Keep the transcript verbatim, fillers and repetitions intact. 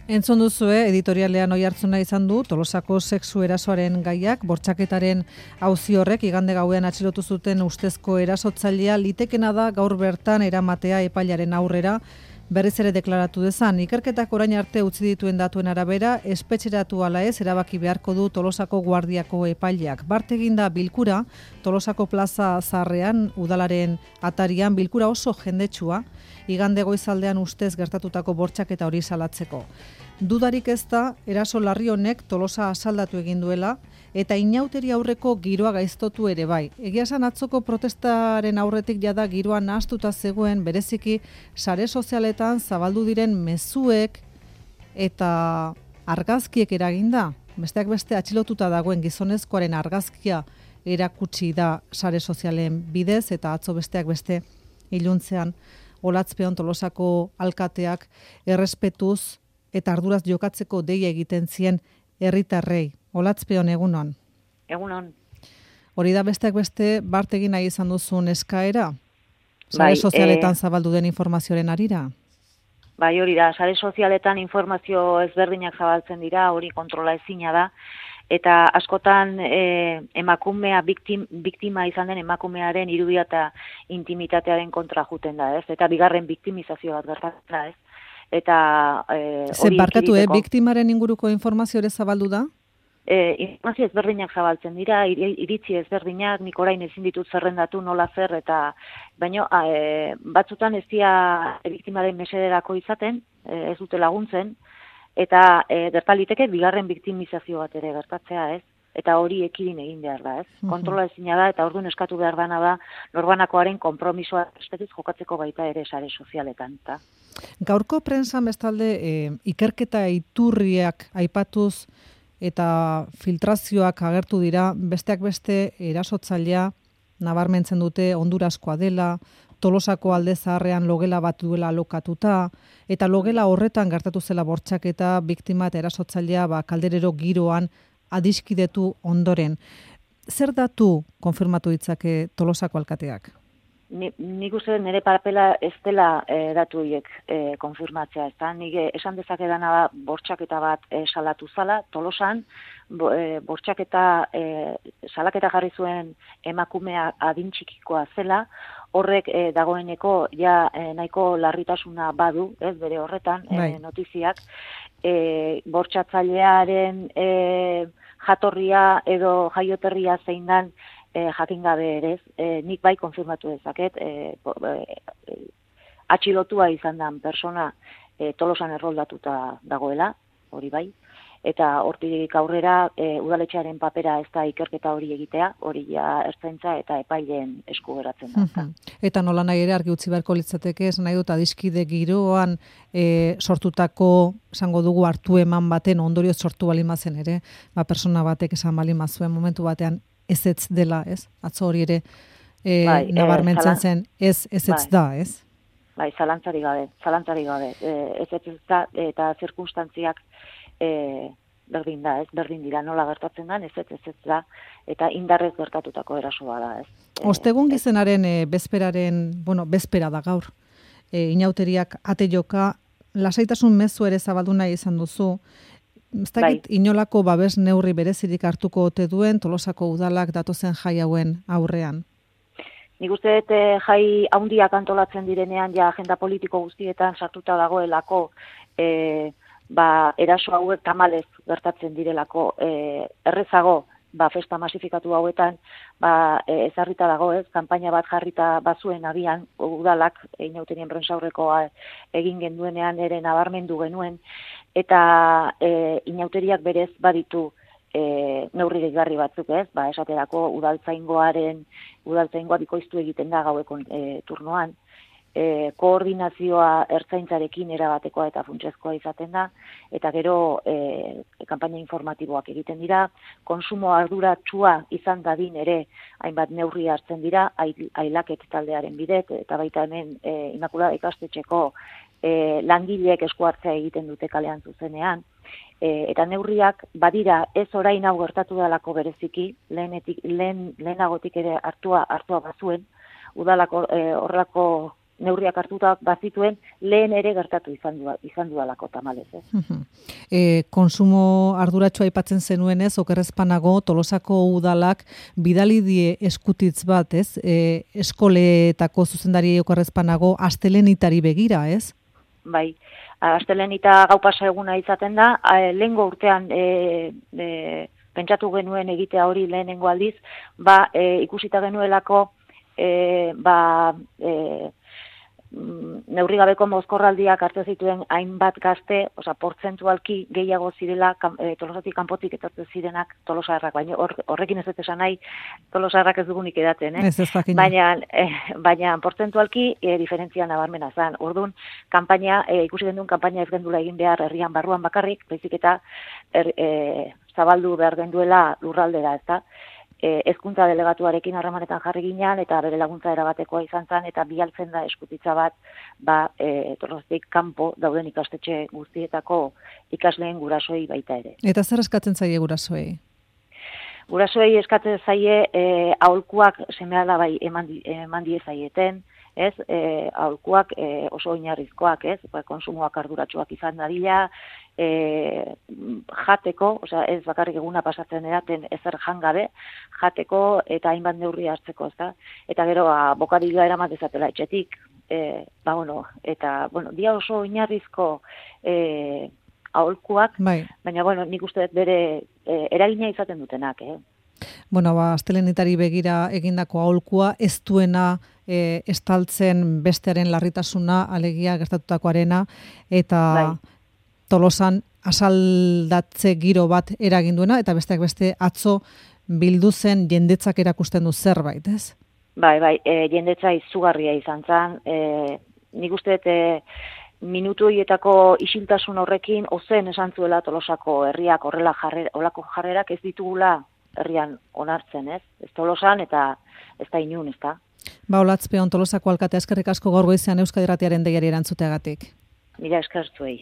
Entzun duzue, editorialean oihartzuna izan du Tolosako sexu erasoaren gaiak, bortxaketaren auzi horrek igande gauean atxilotu zuten ustezko erasotzailea litekena da gaur bertan eramatea epailaren aurrera, berriz ere deklaratu dezan. Ikerketak orain arte utzi dituen datuen arabera, espetxeratu ala ez erabaki beharko du Tolosako guardiako epaileak. Bart eginda bilkura, Tolosako plaza zaharrean, udalaren atarian, bilkura oso jendetsua, igande goizaldean ustez gertatutako bortxaketa hori salatzeko. Dudarik ez da, eraso larri honek Tolosa asaldatu egin duela, eta inauteri aurreko giroa gaiztotu ere bai. Egia esan atzoko protestaren aurretik jada giroa nahastuta zegoen, bereziki sare sozialetan zabaldu diren mezuek eta argazkiek eraginda. Besteak beste atxilotuta dagoen gizonezkoaren argazkia erakutsi da sare sozialen bidez, eta atzo besteak beste iluntzean Olatzpeon Tolosako alkateak errespetuz eta arduraz jokatzeko deia egiten zien herritarrei. Olatzpeon, egunon. Egunon. Hori da besteak beste Bart egin nahi izan duzun eskaera? Sare Bai, sozialetan e... zabaldu den informazioaren arira? Bai, hori da, sare sozialetan informazio ezberdinak zabaltzen dira, hori kontrola ezina da, eta askotan e, emakumea, biktim, biktima izan den emakumearen irudia eta intimitatearen kontra juten da, ez? Eta bigarren biktimizazio bat gertatzen da, ez? Eta e, hori barkatu, eh, biktimaren inguruko informazio ere zabaldu da? E, informazio ezberdinak zabaltzen dira, iritzi ezberdinak, nik orain ezin ditut zerrendatu nola zer, eta baino e, batzutan ez dira biktimaren mesederako izaten, e, ez dute laguntzen, eta e, gertaliteke bigarren biktimizazio bat ere gertatzea, ez? Eta hori ekidin egin behar da, ez? Uh-huh. Kontrola ezina da, eta orduan eskatu behar dana da, norbanakoaren konpromisoa espetiz jokatzeko baita ere sare sozialetan, eta. Gaurko prensan bestalde e, ikerketa iturriak aipatuz eta filtrazioak agertu dira, besteak beste erasotzailea nabarmentzen dute Honduraskoa dela, Tolosako alde zaharrean logela bat duela alokatuta, eta logela horretan gertatu zela bortxaketa, biktima eta erasotzailea ba, kalderero giroan adiskidetu ondoren. Zer datu konfirmatu ditzake Tolosako alkateak? Ni, nik uste nire papela ez dela e, datu horiek e, konfirmatzea. Ez da, nik esan dezakedana da bortxaketa bat e, salatu zala, Tolosan, bo, e, bortxaketa e, salaketa jarri zuen emakumea adin txikikoa zela, horrek e, dagoeneko ja e, nahiko larritasuna badu, ez bere horretan, e, notiziak, e, bortxatzailearen e, jatorria edo jaioterria zein dan, E, jakin gabe ere, e, nik bai konfirmatu dezaket, e, e, atxilotua izan den persona e, Tolosan erroldatuta dagoela, hori bai, eta hortik aurrera e, udaletxearen papera ez da ikerketa hori egitea, hori ja ertzaintza eta epaileen esku geratzen da. Uh-huh. Eta nola nahi ere argi utzi beharko litzateke, ez nahi dut adiskide giroan e, sortutako, esango dugu hartu eman baten ondorioz sortu balimazen ere, ba, persona batek esan balimazuen momentu batean, ez ez dela, ez? Atzo hori ere e, bai, nabarmentzen e, zen, ez ez ez bai. Da, ez? Bai, zalantzari gabe, zalantzari gabe. E, ez ez ez da, eta zirkunstantziak e, berdin da, ez? Berdin dira, nola gertatzen da, ez ez ez ez da, eta indarrez gertatutako erasoa da, ez? E, Ostegun gizenaren e, bezperaren, bueno, bezpera da gaur, e, inauteriak ate joka, lasaitasun mezu ere zabaldu nahi izan duzu, ez dakit bai. Inolako babes neurri berezirik hartuko ote duen Tolosako udalak datozen jai hauen aurrean? Nik uste dut jai handiak antolatzen direnean ja agenda politiko guztietan sartuta dagoelako e, ba, eraso hauek tamalez gertatzen direlako e, errezago ba, festa masifikatu hauetan ba, e, ezarrita dago ez, kanpaina bat jarrita bazuen abian udalak inauterien prentsaurrekoa egin genduenean ere nabarmendu genuen, eta e, inauteriak berez baditu e, neurri gehigarri batzuk ez, ba, esaterako udaltzaingoaren, udaltzaingoa bikoiztu egiten da gaueko e, turnoan, e, koordinazioa ertzaintzarekin erabatekoa eta funtsezkoa izaten da, eta gero e, kanpaina informatiboak egiten dira, konsumo arduratsua izan dadin ere hainbat neurri hartzen dira, ailaket taldearen bidez, eta baita hemen e, Immaculada ikastetxeko E, langileek esku hartzea egiten dute kalean zuzenean, e, eta neurriak badira ez orain hau gertatu dalako bereziki, lehenetik, lehen, lehenagotik ere hartua, hartua bazuen, udalako e, horrelako neurriak hartuta bazituen, lehen ere gertatu izan du, izan dualako tamalez, ez? E, konsumo arduratsua aipatzen zenuenez, okerrezpanago Tolosako udalak bidali die eskutitz bat, ez? E, eskoletako zuzendari okerrezpanago astelenitari begira, ez? Bai, astelenita gau pasa eguna izaten da, lehengo urtean e, e, pentsatu genuen egitea hori lehenengo aldiz, ba, e, ikusita genuelako e, ba, e, neurrigabeko mozkorraldiak hartzen zituen hainbat gazte, osea, portzentualki gehiago zirela e, Tolosatik kanpotik etortzen zirenak Tolosarrak, baina hor, horrekin ez dut esan nahi Tolosarrak ez dugunik edaten, eh? Ez ez jakin. Baina, eh, baina portzentualki e, diferentzia nabarmena zen. Orduan, kanpaina, e, ikusi genduen kanpaina ez gendula egin behar herrian barruan bakarrik, baizik eta er, e, zabaldu behar genduela lurraldera, ezta? Hezkuntza delegatuarekin harremanetan jarri ginean eta bere laguntza erabatekoa izan zen eta bialtzen da eskutitza bat ba, e, Tolosatik kanpo dauden ikastetxe guztietako ikasleen gurasoi baita ere. Eta zer eskatzen zaie gurasoei? Gurasoei eskatzen zaie e, aholkuak seme-alabai eman, eman die zaieten, ez? E, aholkuak e, oso oinarrizkoak, ez? Ba, konsumoak arduratsuak izan dadila, E, jateko, osea, ez bakarrik eguna pasatzen eraten ezer jangabe, jateko eta hainbat neurri hartzeko, ezta? Eta gero, ba, bokadila eramat dezatela etxetik, e, ba, bueno, eta, bueno, dia oso oinarrizko e, aholkuak, bai. Baina, bueno, nik uste dut bere e, eragina izaten dutenak, eh? Bueno, ba, astelenitari begira egindako aholkua, ez duena e, estaltzen bestearen larritasuna, alegia gertatutakoarena, eta bai. Tolosan asaldatze giro bat eragin duena, eta besteak beste atzo bildu zen jendetzak erakusten du zerbait, ez? Bai, bai, e, jendetza izugarria izan zen, e, nik uste dut e, minutu horietako isiltasun horrekin ozen esan zuela Tolosako herriak horrela jarrer, olako jarrerak ez ditugula herrian onartzen, ez? Ez Tolosan eta ez da inun, ez da? Ba, Olatzpeon Tolosako alkatea eskerrik asko gaur goizean Euskadi Irratiaren deiari erantzuteagatik. Mila esker zuei.